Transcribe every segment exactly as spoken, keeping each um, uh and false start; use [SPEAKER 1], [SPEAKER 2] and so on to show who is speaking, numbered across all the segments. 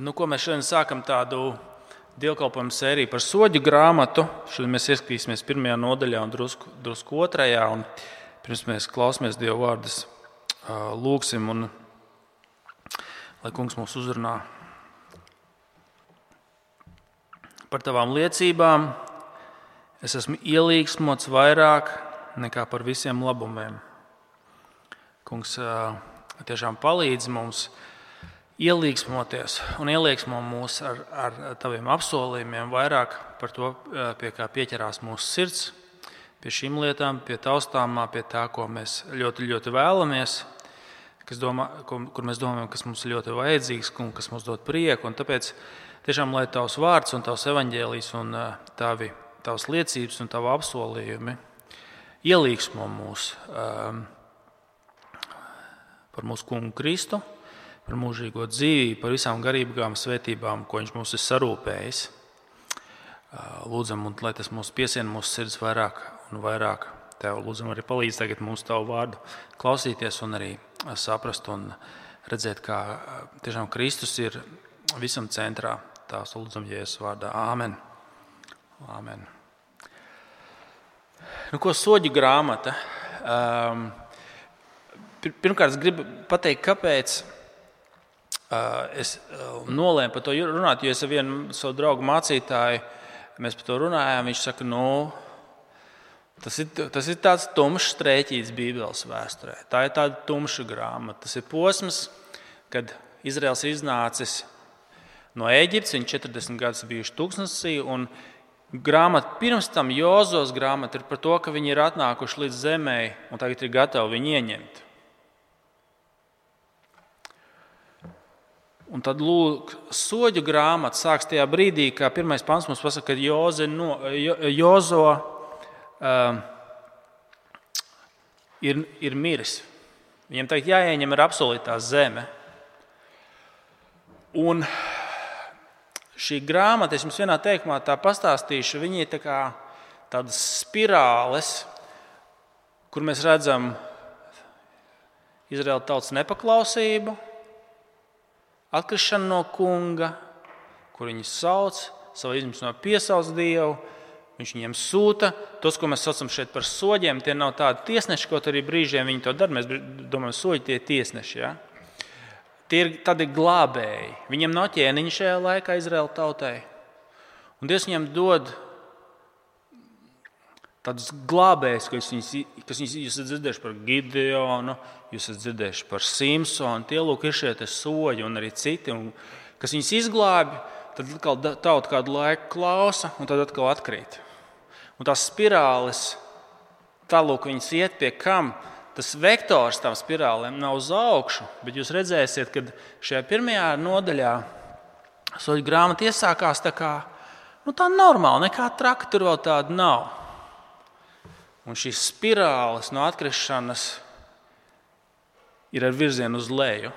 [SPEAKER 1] Nu, ko mēs šodien sākam tādu dievkalpojumu sēriju par soģu grāmatu. Šodien mēs ieskatīsimies pirmajā nodaļā un drusku, drusku otrajā. Un pirms mēs klausāmies Dieva vārdus, lūgsim, un lai Kungs mūs uzrunā. Par tavām liecībām es esmu ielīgsmots vairāk nekā par visiem labumiem. Kungs tiešām palīdz mums ielīgsmoties un ielīgsmo mūs ar, ar taviem apsolījumiem vairāk par to, pie kā pieķerās mūsu sirds, pie šīm lietām, pie taustāmā, pie tā, ko mēs ļoti, ļoti vēlamies, kas domā, kur mēs domājam, kas mums ir ļoti vajadzīgs un kas mums dod prieku. Un tāpēc tiešām, lai tavs vārds un tavs evaņģēlijs un tavi, tavs liecības un tavi apsolījumi ielīgsmo mūs um, par mūsu kungu Kristu, par mūžīgo dzīvību, par visām garīgām svētībām, ko viņš mums ir sarūpējis. Lūdzam, un lai tas mūs piesien mūsu sirds vairāk un vairāk. Tev lūdzam arī palīdz tagad mums tavu vārdu klausīties un arī saprast un redzēt, kā tiešām Kristus ir visam centrā. Tās lūdzam Jēzus vārdā. Āmen. Āmen. Nu, ko soģu grāmata? Um, pirmkārt, es gribu pateikt, kāpēc es nolēmu par to runāt, jo es ar vienu savu draugu mācītāju, mēs par to runājām, viņš saka, nu, tas ir, tas ir tāds tumšs strēķīts Bībeles vēsturē. Tā ir tāda tumša grāmata. Tas ir posms, kad Izraels ir iznācis no Ēģiptes, viņi četrdesmit gadus bijuši tūkstnesī, un grāmata pirms tam, Jozos grāmata, ir par to, ka viņi ir atnākuši līdz zemē un tagad ir gatavi viņu ieņemt. Un tad, lūk, soģu grāmata sāks tajā brīdī, kā pirmais pants mums pasaka, ka Joze no, jo, Jozo uh, ir, ir miris. Viņam tagad jāieņem ir apsolītā zeme. Un šī grāmata, es jums vienā teikumā tā pastāstīšu, viņi ir tā kā tādas spirāles, kur mēs redzam Izraēla tautas nepaklausību, atkrišana no kunga, kur viņi sauc, savu izmisumā piesauc Dievu, viņš viņiem sūta. Tos, ko mēs saucam šeit par soģiem, tie nav tādi tiesneši, kaut arī brīžiem viņi to dara. Mēs domājam, soģi tie ir tiesneši. Ja? Tie ir tādi glābēji. Viņiem nav ķēniņa šajā laikā Izraēla tautai. Un Dievs viņiem dod tādus glābējus, kas viņus, kas viņus jūs esat dzirdējuši par Gideonu, jūs esat dzirdējuši par Simpsonu, tie lūk ir šie soģi un arī citi, un, kas viņus izglābi, tad atkal tauta kādu laiku klausa un tad atkal atkrīt. Un tās spirāles, tā lūk viņas iet pie kam, tas vektors tām spirālēm nav uz augšu, bet jūs redzēsiet, kad šajā pirmajā nodaļā soģu grāmata iesākās tā kā, nu tā normāli, nekā traka tur vēl tāda nav. Un šīs spirāles no atkrišanas ir ar virzienu uz leju.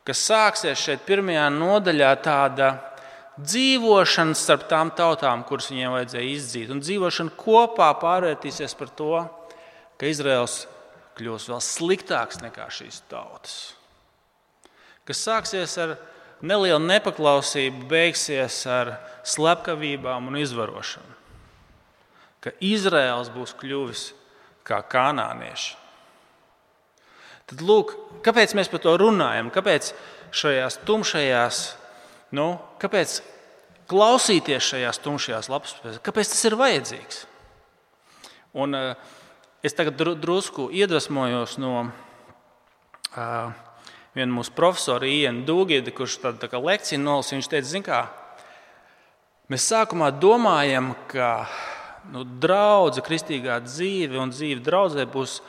[SPEAKER 1] Kas sāksies šeit pirmajā nodaļā tāda dzīvošana starp tām tautām, kuras viņiem vajadzēja izdzīt. Un dzīvošana kopā pārvērtīsies par to, ka Izraels kļūs vēl sliktāks nekā šīs tautas. Kas sāksies ar nelielu nepaklausību, beigsies ar slepkavībām un izvarošanu. Ka Izraels būs kļuvis kā kanānieši. Tad lūk, kāpēc mēs par to runājam? Kāpēc šajās tumšajās, nu, kāpēc klausīties šajās tumšajās lapas? Kāpēc tas ir vajadzīgs? Un uh, es tagad drusku iedvesmojos no uh, viena mūsu profesora Iena Dūgida, kurš tādu tā kā lekciju nolasīja. Viņš teica, zin kā, mēs sākumā domājam, ka Nu, draudze, kristīgā dzīve un dzīve draudzē būs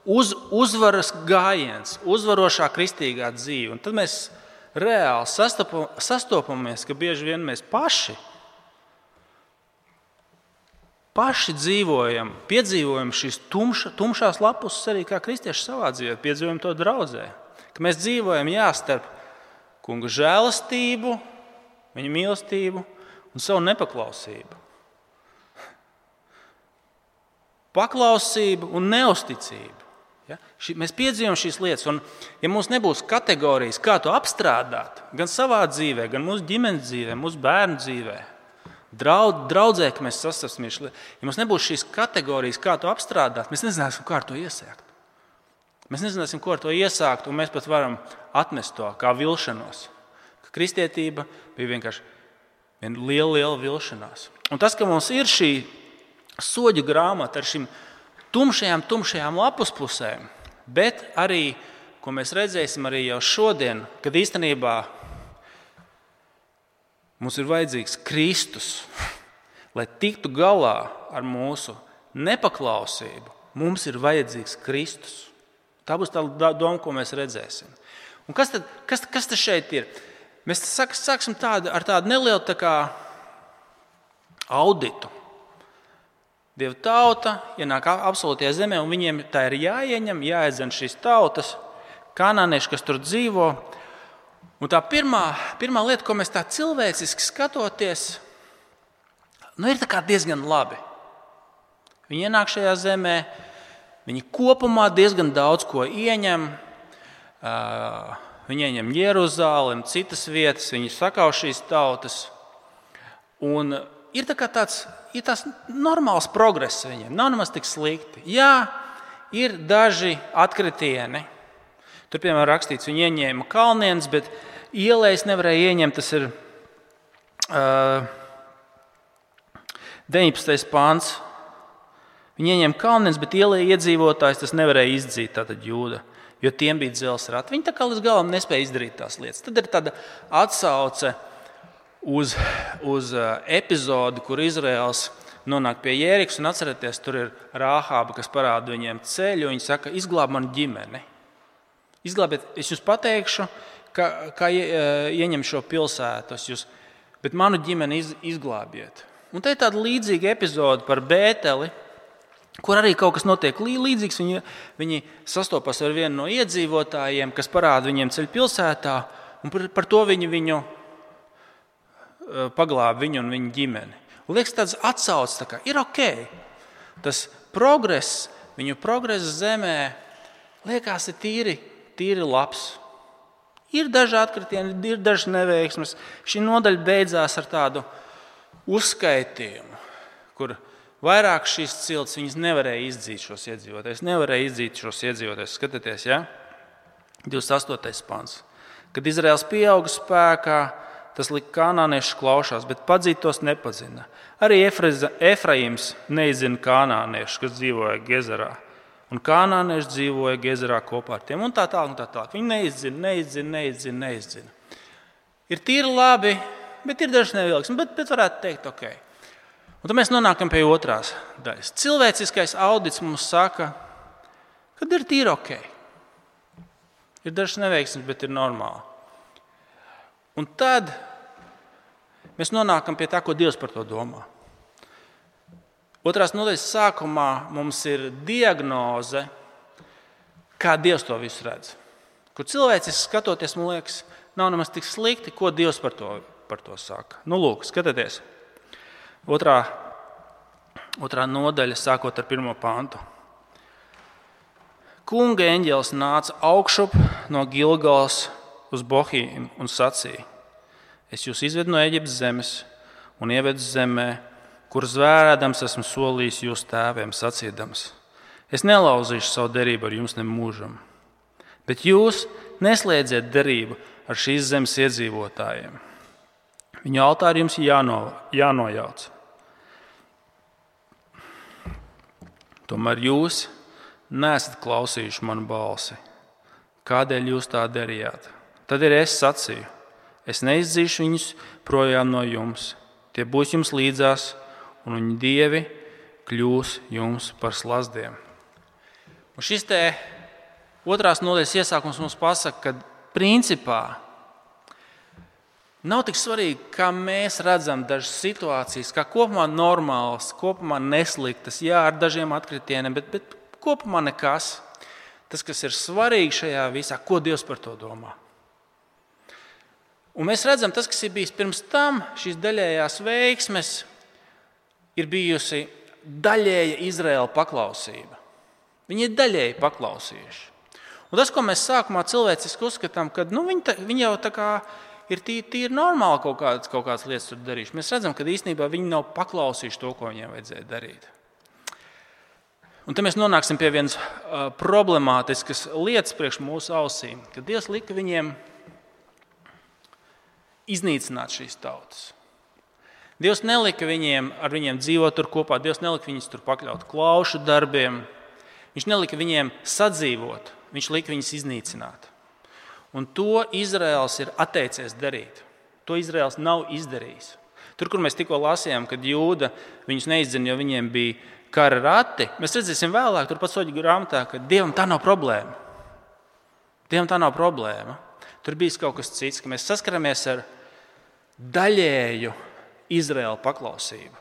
[SPEAKER 1] uz, uzvaras gājiens, uzvarošā kristīgā dzīve. Un tad mēs reāli sastopam, sastopamies, ka bieži vien mēs paši, paši dzīvojam, piedzīvojam šīs tumša, tumšās lapuses arī kā kristieši savā dzīvē, piedzīvojam to draudzē. Ka mēs dzīvojam jā, starp kunga žēlastību, viņa mīlestību un savu nepaklausību. Paklausību un neusticību. Ja? Ši, mēs piedzīvojam šīs lietas, un ja mums nebūs kategorijas, kā to apstrādāt, gan savā dzīvē, gan mūsu ģimenes dzīvē, mūsu bērnu dzīvē, draud, draudzē, ka mēs sastapsimies, ja mums nebūs šīs kategorijas, kā to apstrādāt, mēs nezināsim, kā ar to iesākt. Mēs nezināsim, ko ar to iesākt, un mēs pat varam atmest to kā vilšanos. Ka kristietība bija vienkārši viena liela, liela vilšanās. Un tas, ka mums ir šī soļu grāmata ar šīm tumšajām, tumšajām lapuspusēm, bet arī, ko mēs redzēsim arī jau šodien, kad īstenībā mums ir vajadzīgs Kristus, lai tiktu galā ar mūsu nepaklausību, mums ir vajadzīgs Kristus. Tā būs tā doma, ko mēs redzēsim. Un kas tad, kas, kas tad šeit ir? Mēs sāksim tādu, ar tādu nelielu tā kā auditu. Dieva tauta ienāk absolūtajā zemē, un viņiem tā ir jāieņem, jāiedzen šīs tautas, kanānieši, kas tur dzīvo. Un tā pirmā, pirmā lieta, ko mēs tā cilvēciski skatoties, nu, ir tā kā diezgan labi. Viņi ienāk šajā zemē, viņi kopumā diezgan daudz ko ieņem. Viņi ieņem Jeruzalem, citas vietas, viņi sakauj šīs tautas. Un ir tā kā tāds, ir tāds normāls progress viņiem, nav nemaz tik slikti. Jā, ir daži atkritieni. Tur, piemēram, rakstīts, viņi ieņēma kalnienes, bet ielējas nevarēja ieņemt. Tas ir uh, deviņpadsmitais pāns. Viņi ieņēma kalnienes, bet ielēja iedzīvotājs tas nevarēja izdzīt, tātad Jūda, jo tiem bija dzelzs rati. Viņi tā kā līdz galam nespēja izdarīt tās lietas. Tad ir tāda atsauce uz, uz epizodi, kur Izraels nonāk pie Jērikas, un atcerieties, tur ir Rāhāba, kas parāda viņiem ceļu, un viņi saka, izglāb manu ģimeni. Izglābiet, es jums pateikšu, kā, kā ieņem šo pilsētu, jūs, bet manu ģimeni iz, izglābiet. Un te ir tāda līdzīga epizode par Bēteli, kur arī kaut kas notiek līdzīgs. Viņi, viņi sastopas ar vienu no iedzīvotājiem, kas parāda viņiem ceļu pilsētā, un par, par to viņi viņu paglāba viņu un viņa ģimeni. Un liekas, tāds atsauc, tā kā ir ok. Tas progress, viņu progress zemē, liekas, ir tīri, tīri labs. Ir daži atkritieni, ir daži neveiksmes. Šī nodaļa beidzās ar tādu uzskaitījumu, kur vairāk šīs ciltis viņas nevarēja izdzīt šos iedzīvotājus. Nevarēja izdzīt šos iedzīvotājus. Skatieties, ja? divdesmit astotais pants. Kad Izraels pieauga spēkā, tas lika kanāniešu klaušās, bet padzīt tos nepazina. Arī Efraims neizzina kanāniešu, kas dzīvoja Gezerā. Un kanānieši dzīvoja Gezerā kopā ar tiem. Un tā tālāk, un tā tālāk. Viņi neizzina, neizzina, neizzina, neizzina. Ir tīri labi, bet ir dažs nevilks. Bet, bet varētu teikt, ok. Un tad mēs nonākam pie otrās daļas. Cilvēciskais audits mums saka, kad ir tīri ok. Ir dažs neveiksmes, bet ir normāli. Un tad mēs nonākam pie tā, ko Dievs par to domā. Otrās nodaļas sākumā mums ir diagnoze, kā Dievs to visu redz. Kur cilvēciski skatoties, man liekas, nav nemaz tik slikti, ko Dievs par to, par to saka. Nu, lūk, skatieties. Otrā, otrā nodaļa, sākot ar pirmo pantu. Kunga eņģelis nāca augšup no Gilgals uz Bohīmu un sacīja: Es jūs izvedu no Eģiptes zemes un ievedu zemē, kur zvērēdams esmu solījis jūsu tēviem, sacīdams: Es nelauzīšu savu derību ar jums nemūžam, bet jūs neslēdziet derību ar šīs zemes iedzīvotājiem. Viņu altāri jums jāno, jānojauc. Tomēr jūs neesat klausījuši manu balsi. Kādēļ jūs tā darījāt? Tad ir es sacīju: Es neizdzīšu viņus projām no jums. Tie būs jums līdzās, un viņu dievi kļūs jums par slazdiem. Un šis te otrās nodaļas iesākums mums pasaka, ka principā nav tik svarīgi, kā mēs redzam dažas situācijas, kā kopumā normālas, kopumā nesliktas, jā, ar dažiem atkritieniem, bet, bet kopumā nekas. Tas, kas ir svarīgi šajā visā, ko Dievs par to domā. Un mēs redzam, tas, kas ir bijis pirms tam, šīs daļējās veiksmes, ir bijusi daļēja Izraēla paklausība. Viņi ir daļēji paklausījuši. Un tas, ko mēs sākumā cilvēciski uzskatām, ka nu, viņi, ta, viņi jau tā kā ir tīri, tīri normāli kaut kādas, kaut kādas lietas tur darījuši. Mēs redzam, ka īstenībā viņi nav paklausījuši to, ko viņiem vajadzēja darīt. Un te mēs nonāksim pie vienas uh, problemātiskas lietas priekš mūsu ausīm, ka Dievs lika viņiem iznīcināt šīs tautas. Dievs nelika viņiem ar viņiem dzīvot tur kopā, Dievs nelika viņus tur pakļaut klaušu darbiem, viņš nelika viņiem sadzīvot, viņš lika viņus iznīcināt. Un to Izraels ir atteicies darīt. To Izraels nav izdarījis. Tur, kur mēs tikko lasījām, kad Jūda viņus neizdzina, jo viņiem bija kara rati, mēs redzēsim vēlāk, tur pat soļu grāmatā, ka Dievam tā nav problēma. Dievam tā nav problēma. Tur bija kaut kas cits, ka mēs saskaramies ar daļēju Izraēla paklausību.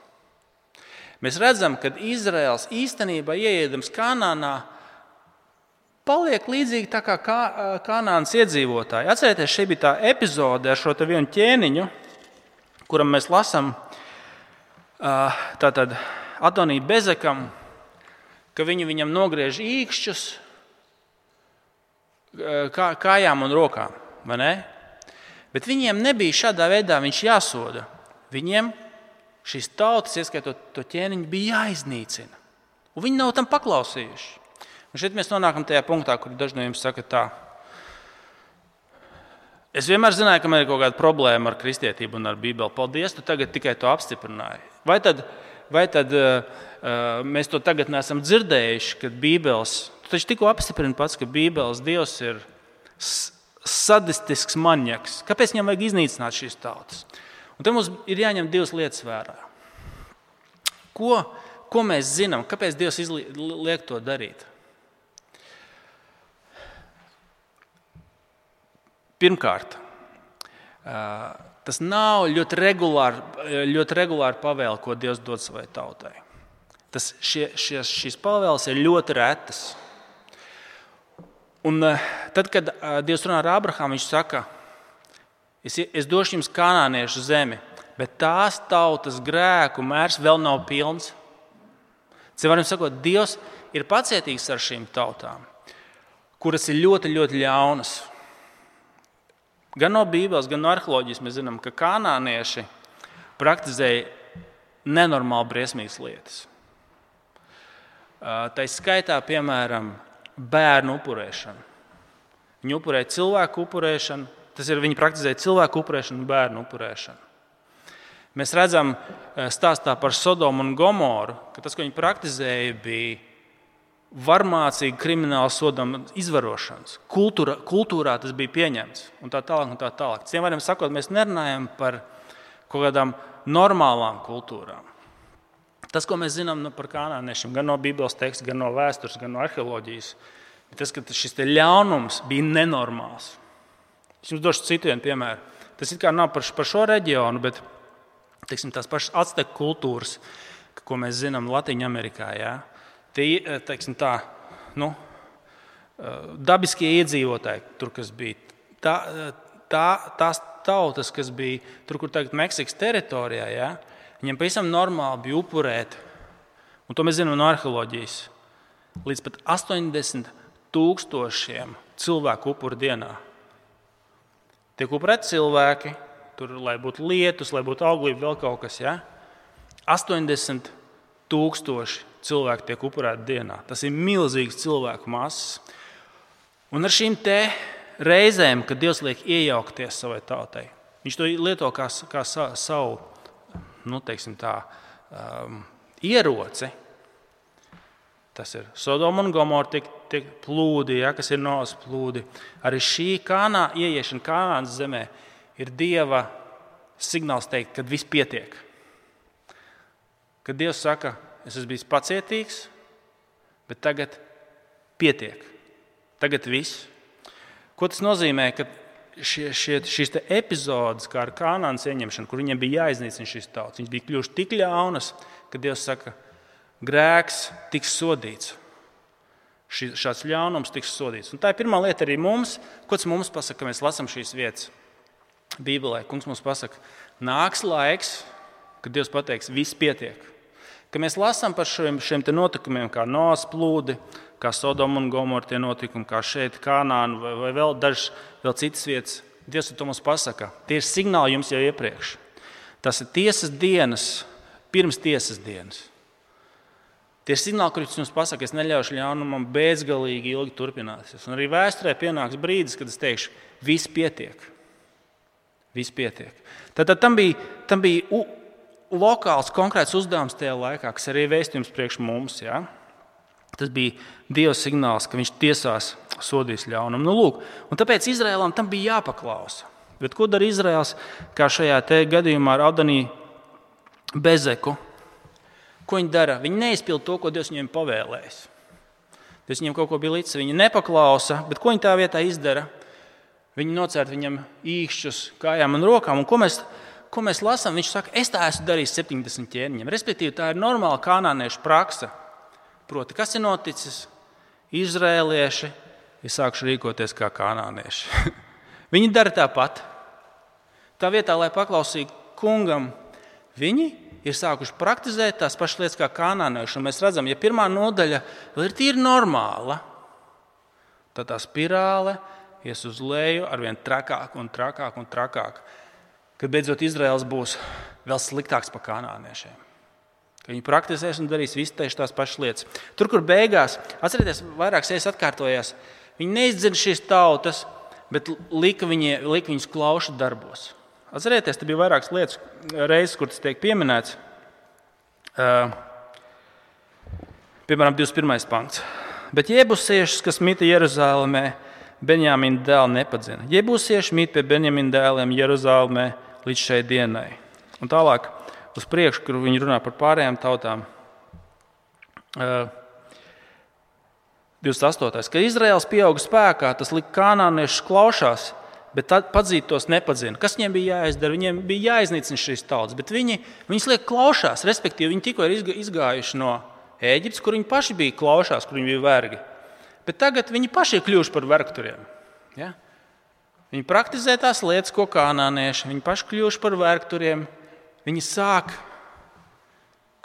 [SPEAKER 1] Mēs redzam, ka Izraels īstenībā ieejams Kanānā paliek līdzīgi tā kā Kanānas iedzīvotāji. Atcerieties, šī bija tā epizode ar šo te vienu ķēniņu, kuram mēs lasām tātad Adonija Bezekam, ka viņi viņam nogriež īkšķus kā, kājām un rokām, vai ne? Bet viņiem nebija šādā veidā viņš jāsoda. Viņiem šīs tautas, ieskaitot to ķēniņu, bija jāiznīcina. Un viņi nav tam paklausījuši. Un šeit mēs nonākam tajā punktā, kur daži no jums saka tā. Es vienmēr zināju, ka man ir kaut kāda problēma ar kristietību un ar Bībeli. Paldies, tu tagad tikai to apstiprināji. Vai tad, vai tad uh, mēs to tagad neesam dzirdējuši, kad Bībeles, tu taču tikko apstiprini pats, ka Bībeles Dievs ir sadistisks maņaks. Kāpēc viņam vajag iznīcināt šīs tautas? Un te mums ir jāņem divas lietas vērā. Ko, ko mēs zinām? Kāpēc Dievs liek to darīt? Pirmkārt, tas nav ļoti regulāri, ļoti regulāri pavēle, ko Dievs dod savai tautai. Tas, šie, šie, šīs pavēles ir ļoti retas. Un tad, kad Dievs runā ar Abrahamu, viņš saka, es, es došu jums kanāniešu zemi, bet tās tautas grēku mērs vēl nav pilns. Citiem sakot, Dievs ir pacietīgs ar šīm tautām, kuras ir ļoti, ļoti ļaunas. Gan no Bībeles, gan no arheoloģijas mēs zinām, ka kanānieši praktizēja nenormāli briesmīgas lietas. Tā skaitā, piemēram, bērnu upurēšanu. Viņi upurēja cilvēku upurēšanu, tas ir, viņi praktizēja cilvēku upurēšanu un bērnu upurēšanu. Mēs redzam stāstā par Sodomu un Gomoru, ka tas, ko viņi praktizēja, bija varmācīga krimināla sodama izvarošanas. Kultūra, kultūrā tas bija pieņemts un tā tālāk un tā tālāk. Citiem vārdiem sakot, mēs nerunājam par kaut kādām normālām kultūrām. Tas, ko mēs zinām par kanāniešiem, gan no Bībeles teksta, gan no vēstures, gan no arheoloģijas, ir tas, ka šis te ļaunums bija nenormāls. Es jums došu citu vienu piemēru. Tas it kā nav par, par šo reģionu, bet teiksim, tās pašas acteku kultūras, ko mēs zinām Latīņa Amerikā, jā. Tie, teiksim tā, nu, dabiskie iedzīvotāji, tur, kas bija, tā, tā, tās tautas, kas bija tur, kur tagad Meksikas teritorijā, ja, viņiem pavisam normāli bija upurēt, un to mēs zinām no arheoloģijas, līdz pat astoņdesmit tūkstošiem cilvēku upuru dienā. Tiek upurēti cilvēki, tur, lai būtu lietus, lai būtu auglība, vēl kaut kas, ja, astoņdesmit tūkstoši cilvēki tiek upurēti dienā. Tas ir milzīgs cilvēku masas. Un ar šīm te reizēm, kad Dievs liek iejaukties savai tautai, viņš to lieto kā, kā savu, nu, teiksim tā, um, ieroci. Tas ir Sodoma un Gomora tiek, tiek plūdi, ja, kas ir Noas plūdi. Arī šī Kānā, ieiešana Kanānas zemē ir Dieva signāls teikt, kad viss pietiek. Kad Dievs saka, es esmu bijis pacietīgs, bet tagad pietiek. Tagad viss. Ko tas nozīmē, ka šie, šie, šīs te epizodes, kā ar Kanānas ieņemšanu, kur viņiem bija jāiznīcina šīs tautas, viņas bija kļuvušas tik ļaunas, ka Dievs saka, grēks tiks sodīts. Šī, šāds ļaunums tiks sodīts. Un tā ir pirmā lieta arī mums. Ko tas mums pasaka, ka mēs lasām šīs vietas Bībelē? Kungs mums pasaka, nāks laiks, kad Dievs pateiks, viss pietiek. Kad mēs lasām par šiem, šiem te notikumiem, kā Noas plūdi, kā Sodoma un Gomora tie notikumi, kā šeit Kanāna vai, vai vēl dažas vēl citas vietas, Dievs to mums pasaka. Tie ir signāli jums jau iepriekš. Tas ir tiesas dienas, pirms tiesas dienas. Tie ir signāli, kurus jums pasaka, es neļaušu ļaunumam bezgalīgi ilgi turpināties. Un arī vēsturē pienāks brīdis, kad es teikšu, viss pietiek. Viss pietiek. Tad, tad tam bija, tam bija u, lokāls, konkrēts uzdevums tajā laikā, kas arī vēstījums priekš mums. Ja? Tas bija Dieva signāls, ka viņš tiesās sodīs ļaunumu. Nu, lūk, un tāpēc Izraēlam tam bija jāpaklausa. Bet ko dara Izraēls, kā šajā te gadījumā ar Adanī Bezeku? Ko viņi dara? Viņi neizpild to, ko Dievs viņiem pavēlējis. Dievs viņiem kaut ko bija līdzi, viņi nepaklausa, bet ko viņi tā vietā izdara? Viņi nocērt viņam īkšķus kājām un rokām. Un ko mēs, ko mēs lasām? Viņš saka, es tā esmu darījis septiņdesmit ķēniņiem. Respektīvi, tā ir normāla kanāniešu praksa. Proti, kas ir noticis? Izrēlieši ir sākuši rīkoties kā kanānieši. Viņi dara tāpat. Tā vietā, lai paklausītu kungam, viņi ir sākuši praktizēt tās pašas lietas kā kanānieši. Un mēs redzam, ja pirmā nodaļa ir tīri normāla, tad tā spirāle ies uz leju arvien trakāk un trakāk un trakāk, kad beidzot Izraels būs vēl sliktāks par kanāniešiem. Ka viņi praktizēs un darīs visu tieši tās pašas lietas. Tur, kur beigās, atcerieties, vairākas reizes atkārtojās, viņi neizdzird šīs tautas, bet lika, viņi, lika viņus klaušu darbos. Atcerieties, te bija vairākas lietas reizes, kur tas tiek pieminēts. Uh, piemēram, divdesmit pirmais pants. Bet jebusiešus, kas mita Jeruzālēmē, Benjamina dēli nepadzina. Jebusieši mīt pie Benjamina dēliem Jeruzālēmē līdz šai dienai. Un tālāk uz priekšu, kur viņi runā par pārējām tautām. divdesmit astotais. Kad Izraēls pieauga spēkā, tas lika kanāniešus klaušās, bet padzīt tos nepadzina. Kas viņiem bija jāizdara? Viņiem bija jāiznīcina šīs tautas, bet viņi, viņas liek klaušās, respektīvi viņi tikko ir izgājuši no Ēģiptes, kur viņi paši bija klaušās, kur viņi bija vergi. Bet tagad viņi paši ir kļuvuši par vergturiem. Ja? Viņi praktizē tās lietas, ko kanānieši, viņi paši kļuvuši par vergturiem. Viņi sāk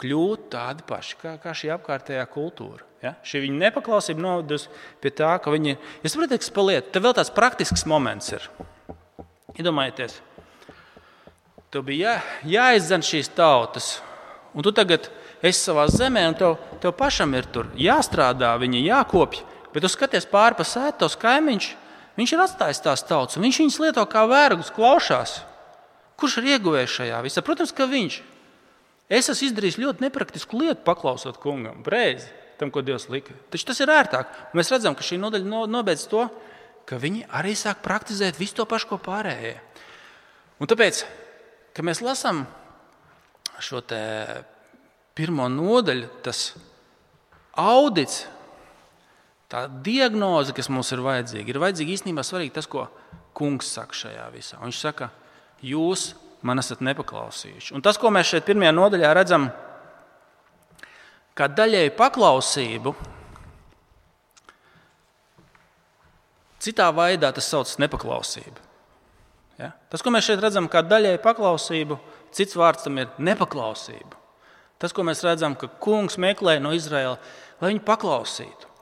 [SPEAKER 1] kļūt tādi paši, kā, kā šī apkārtējā kultūra. Ja? Šī viņa nepaklausība novedus pie tā, ka viņi... Es saprotu, kas paliet. Te vēl tāds praktisks moments ir. Iedomājieties, tev bija jā, jāizdzen šīs tautas, un tu tagad esi savā zemē, un tev, tev pašam ir tur jāstrādā, viņi jākopj, bet tu skaties pāri pa sētu, tavs kaimiņš, viņš ir atstājis tās tautas, un viņš viņus lieto kā vergus, klaušās. Kurš ir ieguvējis šajā visā? Protams, ka viņš. Es esmu izdarījis ļoti nepraktisku lietu, paklausot kungam, reizi tam, ko Dievs lika. Taču tas ir ērtāk. Un mēs redzam, ka šī nodaļa nobeidz to, ka viņi arī sāk praktizēt visu to pašu, ko pārējie. Un tāpēc, kad mēs lasām šo te pirmo nodaļu, tas audits, tā diagnoze, kas mums ir vajadzīga, ir vajadzīga īstenībā svarīgi tas, ko kungs saka šajā visā. Un viņš saka, jūs man esat nepaklausījuši. Un tas, ko mēs šeit pirmajā nodaļā redzam, kā daļēju paklausību, citā veidā tas sauc nepaklausību. Ja? Tas, ko mēs šeit redzam, kā daļēju paklausību, cits vārds tam ir nepaklausība. Tas, ko mēs redzam, ka kungs meklē no Izraēla, lai viņi paklausītu.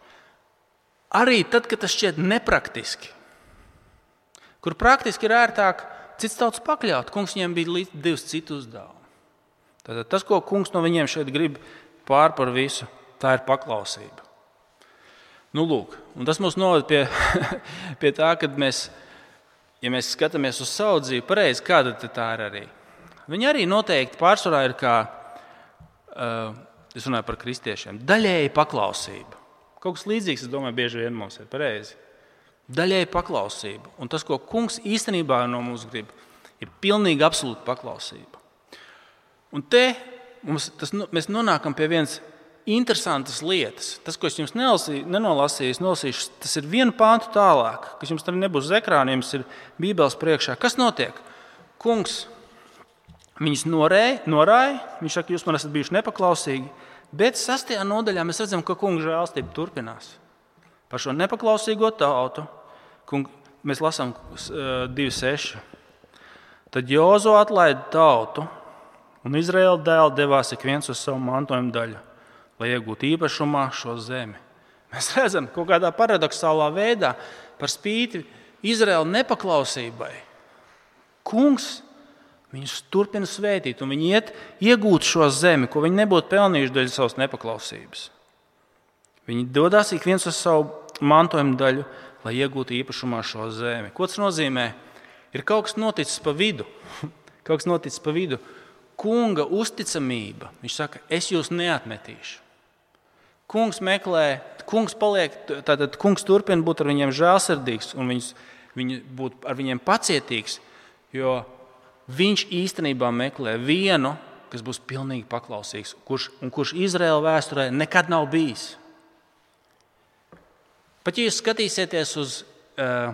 [SPEAKER 1] Arī tad, kad tas šķiet nepraktiski, kur praktiski ir ērtāk cits tauts pakļaut. Kungs viņiem bija divas citu uzdevumi. Tātad tas, ko kungs no viņiem šeit grib pār par visu, tā ir paklausība. Nu, lūk, un tas mūs noved pie, pie tā, kad mēs, ja mēs skatāmies uz savu dzīvi, pareizi, kāda tā ir arī. Viņi arī noteikti pārsvarā ir kā, uh, es runāju par kristiešiem, daļēji paklausība. Kaut kas līdzīgs, es domāju, bieži vien mums ir pareizi. Daļēji paklausība. Un tas, ko kungs īstenībā no mums grib, ir pilnīgi absolūta paklausība. Un te mums, tas, mēs nonākam pie vienas interesantas lietas. Tas, ko es jums nelasīju, nenolasīju, nolasīšu, tas ir vienu pāntu tālāk, kas jums arī nebūs uz ekrāniem, jums ir Bībeles priekšā. Kas notiek? Kungs viņus norēja, norāja, viņš saka, jūs man esat bijuši nepaklausīgi, bet sastajā nodaļā mēs redzam, ka kunga žēlstība turpinās. Par šo nepaklausīgo tautu, kung, mēs lasām divi seši. Tad Jozo atlaida tautu, Un Izraēla dēli devās ik viens uz savu mantojuma daļu, lai iegūtu īpašumā šo zemi. Mēs redzam, kaut kādā paradoxālā veidā par spīti Izraēla nepaklausībai. Kungs viņus turpina svētīt, un viņi iet iegūt šo zemi, ko viņi nebūtu pelnījuši dēļ savas nepaklausības. Viņi dodās ik viens uz savu mantojuma daļu, lai iegūtu īpašumā šo zemi. Ko tas nozīmē? Ir kaut kas noticis pa vidu. Kaut kas noticis pa vidu. Kunga uzticamība. Viņš saka, es jūs neatmetīšu. Kungs meklē, kungs paliek, tātad kungs turpina būt ar viņiem žēlsirdīgs un viņus, viņi būt ar viņiem pacietīgs, jo viņš īstenībā meklē vienu, kas būs pilnīgi paklausīgs, kurš, un kurš Izraēla vēsturē nekad nav bijis. Pat ja jūs skatīsieties uz uh,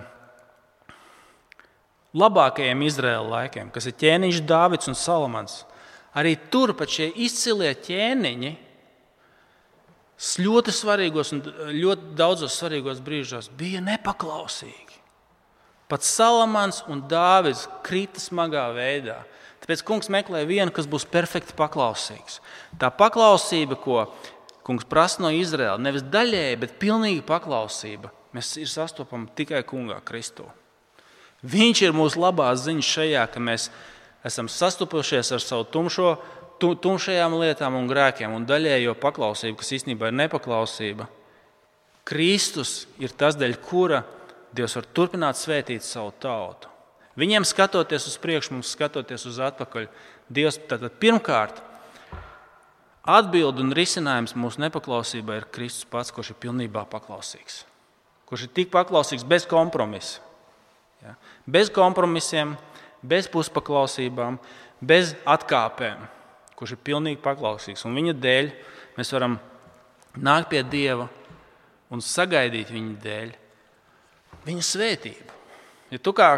[SPEAKER 1] labākajiem Izraēla laikiem, kas ir ķēniņš Dāvids un Salamans, arī tur pat šie izcilie ķēniņi ļoti svarīgos un ļoti daudzos svarīgos brīžos bija nepaklausīgi. Pat Salamans un Dāvids krita smagā veidā. Tāpēc kungs meklē vienu, kas būs perfekti paklausīgs. Tā paklausība, ko kungs prasa no Izraēla, nevis daļēji, bet pilnīga paklausība, mēs ir sastopama tikai kungā Kristū. Viņš ir mūsu labās ziņas šajā, ka mēs esam sastopušies ar savu tumšo, tumšajām lietām un grēkiem un daļējo paklausību, kas īstenībā ir nepaklausība. Kristus ir tas, dēļ kura Dievs var turpināt svētīt savu tautu. Viņiem skatoties uz priekšu, mums skatoties uz atpakaļ, Dievs tātad pirmkārt atbild un risinājums mūsu nepaklausībai ir Kristus pats, kurš ir pilnībā paklausīgs. Kurš ir tik paklausīgs bez kompromisa. Ja? Bez kompromisiem, bez puspaklausībām, bez atkāpēm. Kurš ir pilnīgi paklausīgs. Un viņa dēļ mēs varam nākt pie Dieva un sagaidīt viņa dēļ viņa svētību. Ja tu kā,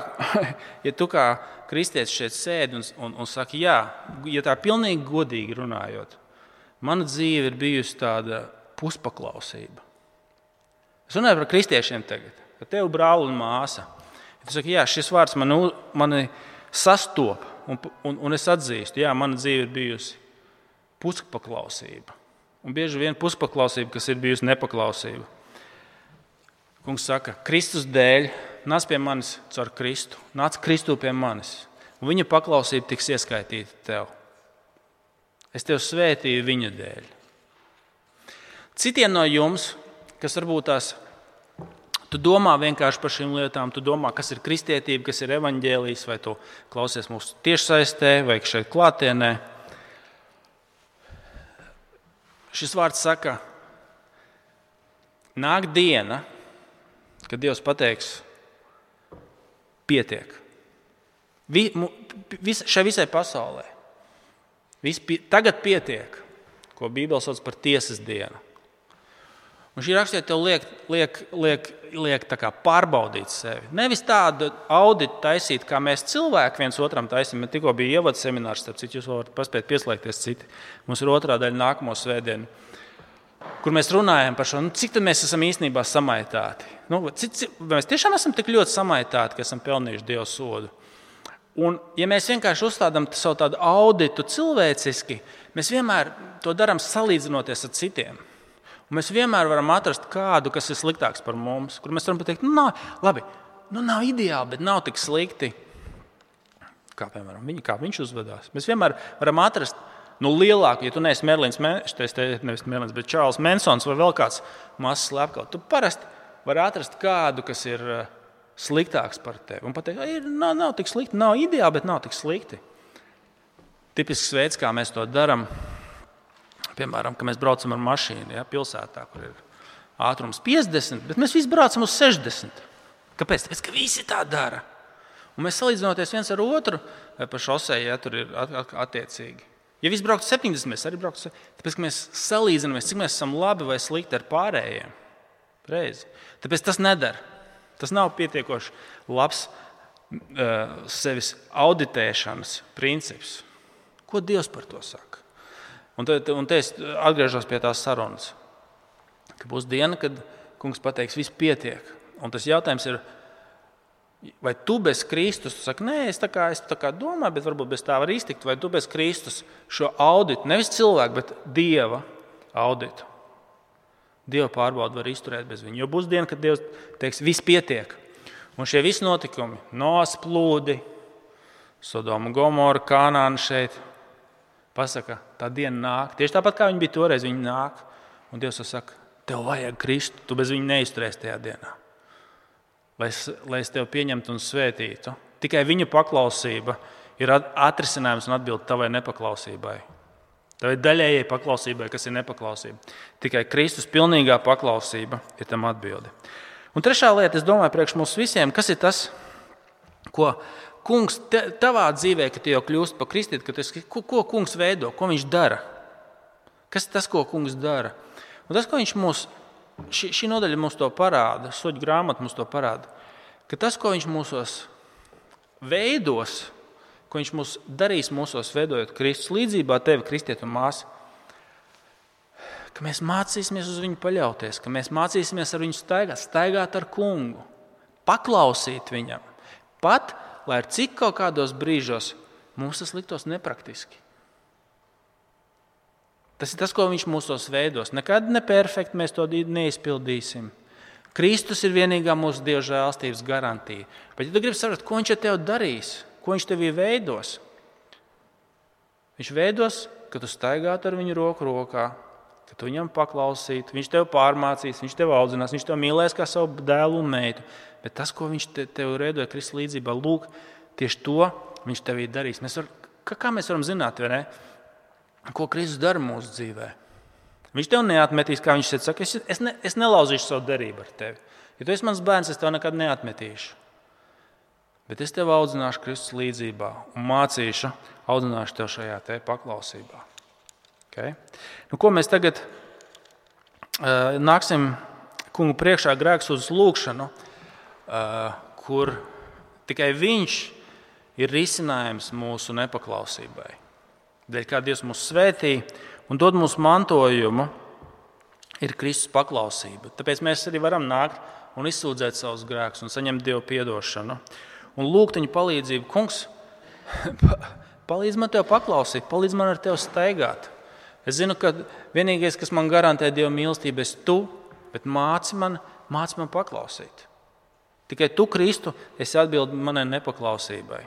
[SPEAKER 1] ja tu kā kristietis šeit sēdi un, un, un saki, jā, ja tā pilnīgi godīgi runājot, mana dzīve ir bijusi tāda puspaklausība. Es runāju par kristiešiem tagad, ka tev brāli un māsa. Ja tu saki, jā, šis vārds mani, mani sastopa. Un, un, un es atzīstu, jā, mana dzīve ir bijusi puspaklausība. Un bieži vien puspaklausība, kas ir bijusi nepaklausība. Kungs saka, Kristus dēļ nāc pie manis caur Kristu. Nāc Kristu pie manis. Un viņa paklausība tiks ieskaitīta tev. Es tev svētīju viņa dēļ. Citiem no jums, kas varbūt tās tu domā vienkārši par šīm lietām, tu domā, kas ir kristietība, kas ir evaņģēlijs, vai tu klausies mūsu tiešsaistē, vai šeit klātienē. Šis vārds saka, nāk diena, kad Dievs pateiks, pietiek. Vi, vis, šai visai pasaulē. Vis, tagad pietiek, ko Bībele sauc par tiesas dienu. Un šī rakstīja tev liek, liek, liek, liek tā kā pārbaudīt sevi. Nevis tādu auditu taisīt, kā mēs cilvēki viens otram taisām. Man tikko bija ievads seminārs, starp citu, jūs varat paspēt pieslēgties citi. Mums ir otrā daļa nākamo svētdienu, kur mēs runājam par šo, nu, cik tad mēs esam īstenībā samaitāti. Nu, cik, cik, mēs tiešām esam tik ļoti samaitāti, ka esam pelnījuši Dieva sodu. Un, ja mēs vienkārši uzstādām savu tādu auditu cilvēciski, mēs vienmēr to darām salīdzinoties ar citiem. Un mēs vienmēr varam atrast kādu, kas ir sliktāks par mums, kur mēs varam pateikt, nu, nav, labi, nu, nav ideāli, bet nav tik slikti, kā, piemēram, viņi, kā viņš uzvedās. Mēs vienmēr varam atrast nu, lielāku, ja tu neesi Merlins, nevis Merlins, bet Čārls Mansons vai vēl kāds mazs slepkavs. Tu parasti vari atrast kādu, kas ir sliktāks par tevi. Un pateikt, ir, nav, nav tik slikti, nav ideāli, bet nav tik slikti. Tipisks veids, kā mēs to darām. Piemēram, ka mēs braucam ar mašīnu, ja, pilsētā, kur ir ātrums piecdesmit, bet mēs visi braucam uz sešdesmit. Kāpēc? Tāpēc, ka visi tā dara. Un mēs salīdzinoties viens ar otru, vai pa šosei, ja tur ir attiecīgi. Ja visi brauktu septiņdesmit, mēs arī brauktu septiņdesmit. Tāpēc, ka mēs salīdzinamies, cik mēs esam labi vai slikti ar pārējiem. Reizi. Tāpēc tas nedara. Tas nav pietiekoši labs uh, sevis auditēšanas princips. Ko Dievs par to saka? Un te, un te es atgriežos pie tās sarunas, ka būs diena, kad kungs pateiks, viss pietiek. Un tas jautājums ir, Vai tu bez Kristus, tu saki, nē, es tā kā, es tā kā domāju, bet varbūt bez tā var iztikt, vai tu bez Kristus šo auditu, nevis cilvēku, bet Dieva auditu. Dieva pārbaudu var izturēt bez viņa, jo būs diena, kad Dievs teiks, viss pietiek. Un šie visi notikumi, Noas plūdi, Sodoma, Gomora, Kanāna šeit, pasaka, tā diena nāk. Tieši tāpat, kā viņi bija toreiz, viņi nāk. Un Dievs saka, tev vajag Kristu, tu bez viņa neizturēsi tajā dienā. Lai es, lai es tevi pieņemtu un svētītu. Tikai viņa paklausība ir atrisinājums un atbilde tavai nepaklausībai. Tavai daļējai paklausībai, kas ir nepaklausība. Tikai Kristus pilnīgā paklausība ir tam atbilde. Un trešā lieta, es domāju, priekš mums visiem, kas ir tas, ko kungs te, tavā dzīvē, kad tu jau kļūst par kristīti, ka tas, ko, ko kungs veido, ko viņš dara? Kas ir tas, ko kungs dara? Un tas, ko viņš mūs Šī, šī nodaļa mums to parāda, Suģu grāmata mums to parāda, ka tas, ko viņš mūsos veidos, ko viņš mūs darīs mūsos veidojot Kristus līdzībā tevi, kristieti un māsi, ka mēs mācīsimies uz viņu paļauties, ka mēs mācīsimies ar viņu staigāt, staigāt ar kungu, paklausīt viņam, pat, lai ar cik kaut kādos brīžos mums tas liktos nepraktiski. Tas ir tas, ko viņš mūsos veidos. Nekad neperfekti mēs to neizpildīsim. Kristus ir vienīgā mūsu Dieva žēlstības garantija. Bet, ja tu gribi saprast, ko viņš ar tevi darīs, ko viņš tevī veidos, viņš veidos, ka tu staigātu ar viņu roku rokā, ka tu viņam paklausītu, viņš tevi pārmācīs, viņš tevi audzinās, viņš tevi mīlēs kā savu dēlu un meitu. Bet tas, ko viņš te, tevi veidoja Kristus līdzībā, lūk, tieši to viņš tevī darīs. Mēs var, kā mēs varam zināt, vai ne? Ko Kristus dara mūsu dzīvē? Viņš tev neatmetīs, kā viņš saka, es, es, ne, es nelauzīšu savu derību ar tevi. Ja tu esi mans bērns, es tev nekad neatmetīšu. Bet es tev audzināšu Kristus līdzībā un mācīšu, audzināšu tev šajā te paklausībā. Okay? Nu, ko mēs tagad uh, nāksim kungu priekšā grēksūdzes lūgšanu, uh, kur tikai viņš ir risinājums mūsu nepaklausībai. Dēļ kā Dievs mūs svētī un dod mums mantojumu, ir Kristus paklausība. Tāpēc mēs arī varam nākt un izsūdzēt savus grēkus un saņemt Dievu piedošanu. Un lūgt viņa palīdzību. Kungs, palīdz man tev paklausīt, palīdz man ar tevi staigāt. Es zinu, ka vienīgais, kas man garantē Dieva mīlestību, esi tu, bet māci man, māci man paklausīt. Tikai tu, Kristu, esi atbildi manai nepaklausībai.